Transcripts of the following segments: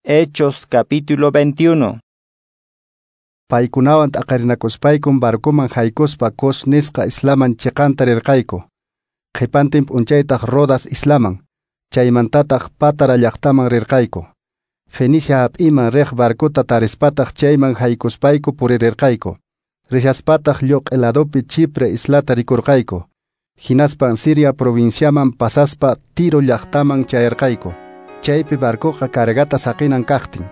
Hechos capítulo 21. Paykunawan t'aqarinakuspaykum barcoman haykuspa Cos nisqa islaman chiqanta rirqayku. Qhipantin p'unchaytaq Rodas islaman, chaymantataq Pátara llaqtaman rirqayku. Fenicia hap'iman riq barcota tarispataq chayman haykuspayku puririrqayku. Rishaspataq lluq'i ladopi Chipre islata rikurqayku. Hinaspan Siria provinciaman pasaspa Tiro llaqtaman chayarqayku. Chaypi barcoqa cargata saqinan kaqtin.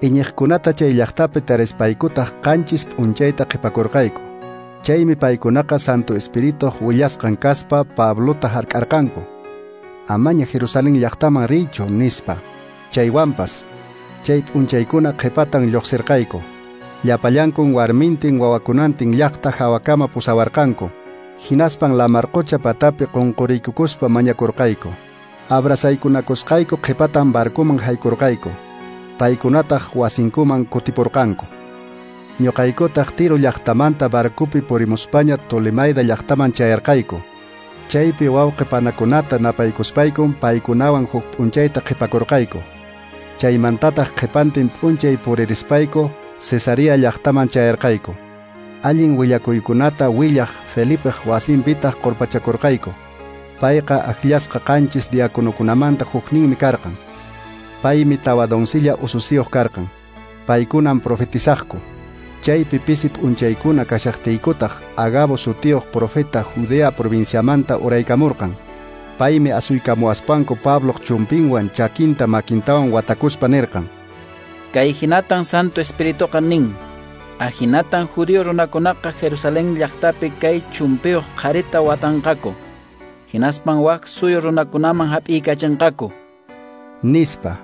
Iñiqkunata chay llaqtapi tarispaykutaq qanchis p'unchayta qhipakurqayku. Chaymi paykunaqa Santo Espirituq willasqan kaspa Pablota hark'arqanku. Amaña Jerusalén llaqtaman riychu nispa. Chaywanpas chay p'unchaykuna qhipatan lluqsirqayku. Llapallankun warmintin wawakunantin llaqta hawakama pusawarqanku. Hinaspan lamarqucha patapi qunquriykukuspa mañakurqayku. Abrazaykunakusqayku qhipatan barcoman haykurqayku. Paykunataq wasinkuman kutipurqanku. Ñuqaykutaq Tiro llaqtamanta barcopi purimuspaña Tolemaida llaqtaman chayarqayku. Chaypi wawqi panakunata napaykuspaykum paykunawan huk p'unchayta qhipakurqayku. Chaymantataq qhipantin p'unchay puririspayku Cesarea llaqtaman chayarqayku. Allin willakuykunata willaq Felipeq wasinpitaq qurpachakurqayku. Payqa akllasqa qanchis diáconokunamanta hukninmi karqan. Paymi tawa doncella ususiyuq karqan. Paykunan profetizaqku. Chaypi pisi p'unchaykuna kashaqtiykutaq Agabo sutiyuq profeta Judea provinciamanta uraykamurqan. Paymi asuykamuwaspanku Pabloq chumpinwan chakinta makintawan watakuspa nirqan: Kay hinatan Santo Espirituqa nin. Ahinatan judío runakunaqa Jerusalén llaqtapi kay chumpiyuq qharita watanqaku. Hinaspan wak suyu runakunaman hap'iykachinqaku. Nispa.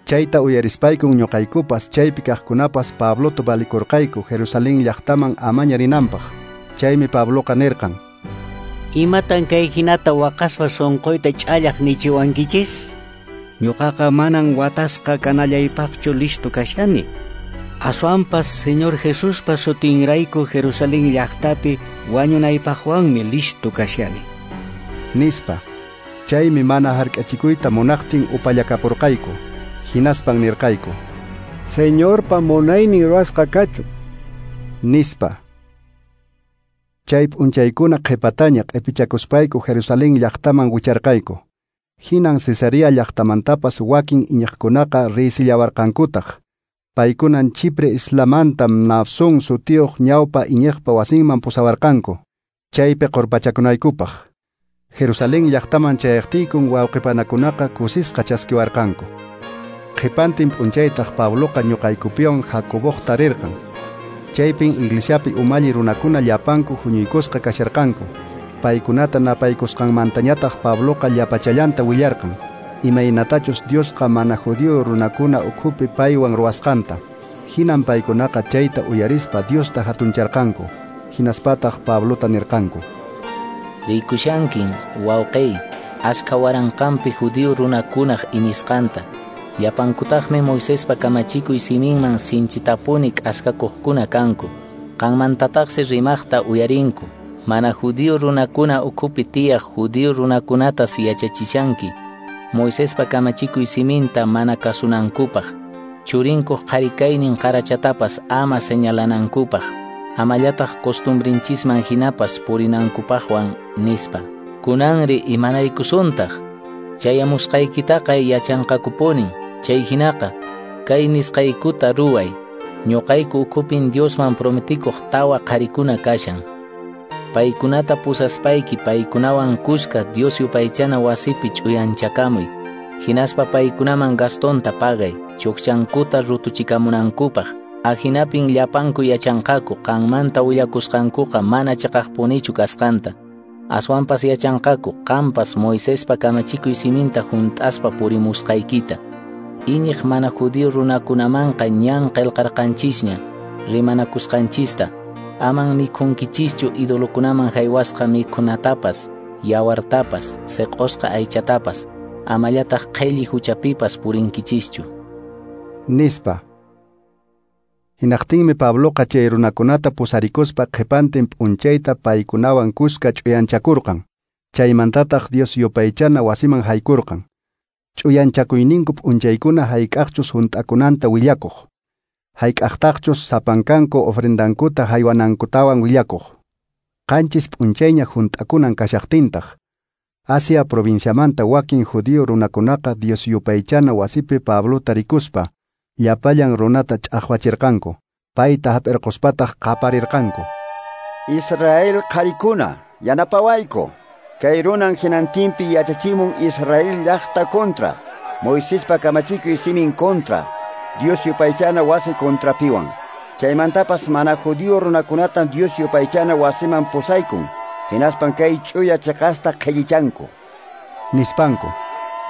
Chayta uyarispaykun ñuqaykupas chaypi kaqkunapas Pablota valikurqayku Jerusalén llaqtaman amaña rinanpaq. Chaymi Pabloqa nirqan: Imatan kay hinata waqaspa sunquyta ch'allaq nichiwankichis? Ñuqaqa manan watasqa kanallaypaqchu listo kashani. Aswanpas Señor Jesuspa sutinrayku Jerusalén llaqtapi wañunaypaqwanmi listo kashani. Nispa. Chaymi mana hark'achikuyta munaqtin upallakapurqayku. Hinaspan nirqayku: Señorpa munaynin ruwasqa kachun. Nispa. Chay p'unchaykuna qhipataña q'ipichakuspayku Jerusalén llaqtaman wicharqayku. Hinan Cesarea llaqtamantapas wakin iñiqkunaqa riysillawarqankutaq. Paykunan Chipre islamanta Mnasón sutiyuq ñawpa iñiqpa wasinman pusawarqanku. Chaypi qurpachakunaykupaq. Jerusalén llaqtaman chayaqtiykun wawqipanakunaqa kusisqa chaskiwarqanku. Qhipantin p'unchaytaq Pabloqa ñuqaykupiwan Jacoboqta rirqan. Chaypin iglesiapi umalli runakuna llapanku huñuykusqa kasharqanku. Paykunata napaykusqanmantañataq Pabloqa llapachallanta willarqan. Imaynatachus Diosqa mana judío runakuna ukhupi paywan ruwasqanta. Hinan paykunaqa chayta uyarispa Diosta hatuncharqanku. Hinaspataq Pablota nirqanku: Rikushankin, wawqiy, ashka waranqanpi judío runakunaq iñisqanta. Llapankutaqmi Moisespa kamachikuy siminman sinchitapuni k'askakuqkuna kanku. Qanmantataqsi rimaqta uyarinku. Mana judío runakuna ukhupi tiyaq judío runakunatas yachachishanki. Moisespa kamachikuy siminta mana kasunankupaq. Churinkuq qharikaynin qarachatapas ama señalanankupaq. Amallataq costumbrinchisman hinapas purinankupaqwan nispa. Kunanri imanaykusuntaq. Chayamusqaykitaqa yachanqakupuni. Chay hinaqa kay nisqaykuta ruway. Ñuqayku ukhupin Diosman prometikuq tawa qharikuna kashan. Paykunata pusaspayki paykunawan kuska Dios yupaychana wasipi ch'uyanchakamuy. Hinaspa paykunaman gastonta pagay, chukchankuta rutuchikamunankupaq. Ahinapin llapanku yachanqaku qanmanta willakusqankuqa mana chiqaqpunichu kasqanta. Aswanpas yachanqaku qampas Moisespa kamachikuy siminta hunt'aspa purimusqaykita. Iñiq mana judío runakunamanqa ñan qillqarqanchisña rimanakusqanchista. Aman mikhunkichischu idolokunaman haywasqa mikhunatapas, yawartapas, siq'usqa aychatapas, amallataq qhilli huchapipas purinkichischu. Nispa. Hinaqtinmi Pabloqa chay runakunata pusarikuspa qhipantin p'unchayta paykunawan kuska ch'uyanchakurqan. Chaymantataq Dios yupaychana wasiman haykurqan. Ch'uyanchakuyninku p'unchaykuna hayk'aqchus hunt'akunanta willakuq. Hayk'aqtaqchus sapankanku ofrendankuta haywanankutawan willakuq. 7 p'unchayña hunt'akunan kashaqtintaq. Asia provinciamanta wakin judío runakunaqa Dios yupaychana wasipi Pablota rikuspa llapallan runata ch'aqwachirqanku. Payta hap'irquspataq qaparirqanku. Israel qharikuna, yanapawayku. Kay runan hinantinpi yachachimun Israel llaqta kontra, Moisespa kamachikuy simin kontra, Dios yupaychana wasi kontrapiwan. Chaymantapas mana judío runakunatan Dios yupaychana wasiman pusaykun, hinaspan kay ch'uya cheqasta qhellichanku. Nispanku.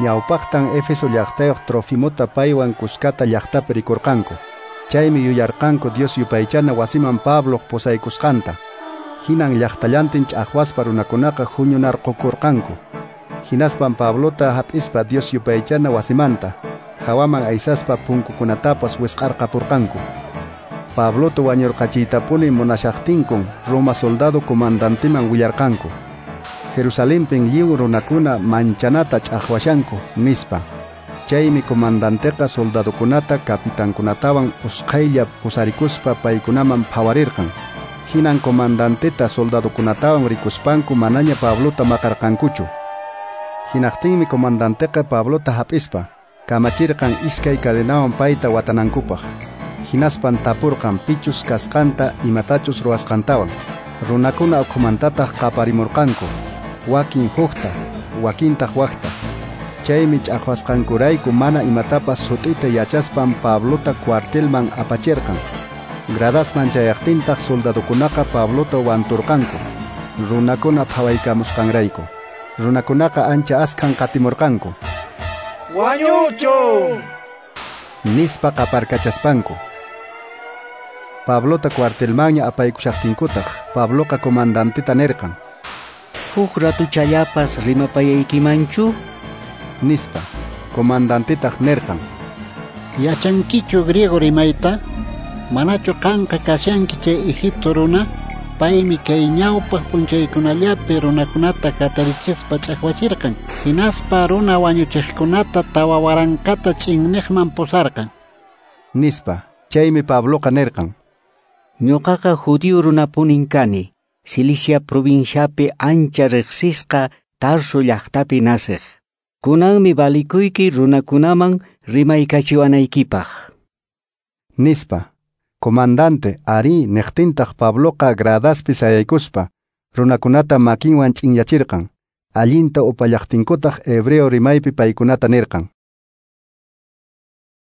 Ñawpaqtan Éfeso llaqtayuq Trofimota paywan kuskata llaqtapi rikurqanku. Chaymi yuyarqanku Dios yupaychana wasiman Pabloq pusaykusqanta. Hinan llaqtallantin ch'aqwaspa runakunaqa huñunarqukurqanku. Hinaspan Pablota hap'ispa Dios yupaychana wasimanta, hawaman aysaspa punkukunatapas wisq'arqapurqanku. Pablota wañurqachiytapuni munashaqtinkun Roma soldado comandanteman willarqanku. Jerusalenpin lliw runakuna manchanata ch'aqwashanku, nispa. Chaymi comandanteqa soldadokunata kapitankunatawan usqhaylla pusarikuspa paykunaman phawarirqan. Hinan comandanteta soldadokunatawan rikuspanku manaña Pablota maqarqankuchu. Hinaqtinmi comandanteqa Pablota hap'ispa kamachirqan iskay cadenawan payta watanankupaq. Hinaspan tapurqan pichus kasqanta imatachus ruwasqantawan. Runakuna ukhumantataq qaparimurqanku, wakin hukta, wakintaq wakta. Chaymi ch'aqwasqankurayku mana imatapas sut'ita yachaspan Pablota cuartelman apachirqan. Gradasman chayaqtintaq soldadokunaqa Pablota wanturqanku, runakuna phawaykamusqanrayku. Runakunaqa ancha askhan qatimurqanku. ¡Wañuchun! Nispa qaparkachaspanku. Pablota cuartelmanña apaykushaqtinkutaq, Pabloqa comandanteta nirqan. Huk ratuchallapas rimapayaykimanchu? Nispa. Comandantetaq nirqan. Yachankichu griego rimayta? Manachu qanqa kashanki chay Egipto runa? Paymi kay ñawpaq p'unchaykunallapi runakunata hatarichispa ch'aqwachirqan. Hinaspa runa wañuchiqkunata 4000 ch'inniqman pusarqan. Nispa. Chaymi Pabloqa nirqan. Ñuqaqa judío runapunin kani, Cilicia provinciapi ancha riqsisqa Tarso llaqtapi nasiq. Kunanmi valikuyki runakunaman rimaykachiwanaykipaq. Nispa. Comandante, arí, niqtintaq Pabloqa gradaspi sayaykuspa, runakunata makinwan ch'inyachirqan. Allinta upallaqtinkutaq hebreo rimaypi paykunata nirqan.